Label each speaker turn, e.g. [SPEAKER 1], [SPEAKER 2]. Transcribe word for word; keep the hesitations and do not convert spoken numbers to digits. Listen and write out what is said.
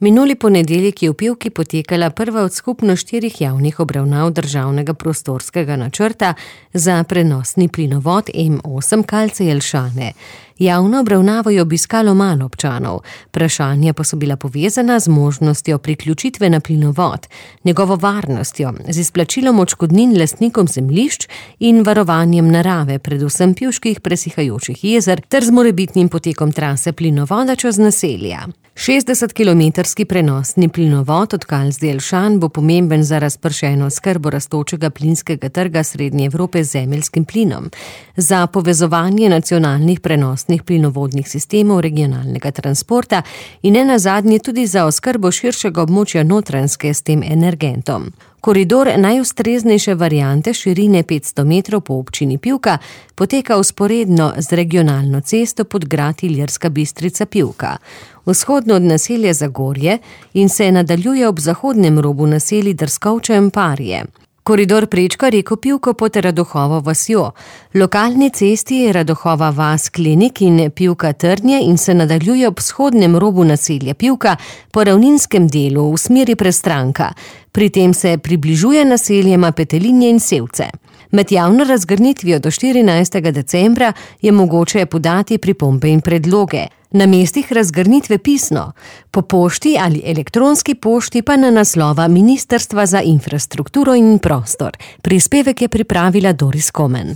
[SPEAKER 1] Minuli ponedeljek je v Pivki potekala prva od skupno štirih javnih obravnav državnega prostorskega načrta za prenosni plinovod M osem Kalce-Jelšane. Javno obravnavo je obiskalo malo občanov, vprašanja pa so bila povezana z možnostjo priključitve na plinovod, njegovo varnostjo, z izplačilom odškodnin lastnikom zemljišč in varovanjem narave, predvsem pivških presihajočih jezer, ter z morebitnim potekom trase plinovoda čez naselja. šestdesetkilometrski prenosni plinovod od Kalc do Jelšan bo pomemben za razpršeno oskrbo rastočega plinskega trga Srednje Evrope z zemeljskim plinom, za povezovanje nacionalnih prenosnih plinovodnih sistemov regionalnega transporta in nenazadnje tudi za oskrbo širšega območja Notranjske s tem energentom. Koridor najustreznejše variante širine petsto metrov po občini Pivka poteka vzporedno z regionalno cesto Podgrad Ilirska Bistrica-Pivka, vzhodno od naselja Zagorje in se nadaljuje ob zahodnem robu naselij Drskovče in Parje. Koridor prečka reko Pivko pod Radohovo vasjo. Lokalni cesti je Radohova vas Klenik in Pivka Trnje in se nadaljuje ob vzhodnem robu naselja Pivka po ravninskem delu v smeri Prestranka. Pri tem se približuje naseljema Petelinje in Sevce. Med javno razgrnitvijo do štirinajstega decembra je mogoče podati pripombe in predloge. Na mestih razgrnitve pisno, po pošti ali elektronski pošti pa na naslova Ministrstva za infrastrukturo in prostor. Prispevek je pripravila Doris Komen.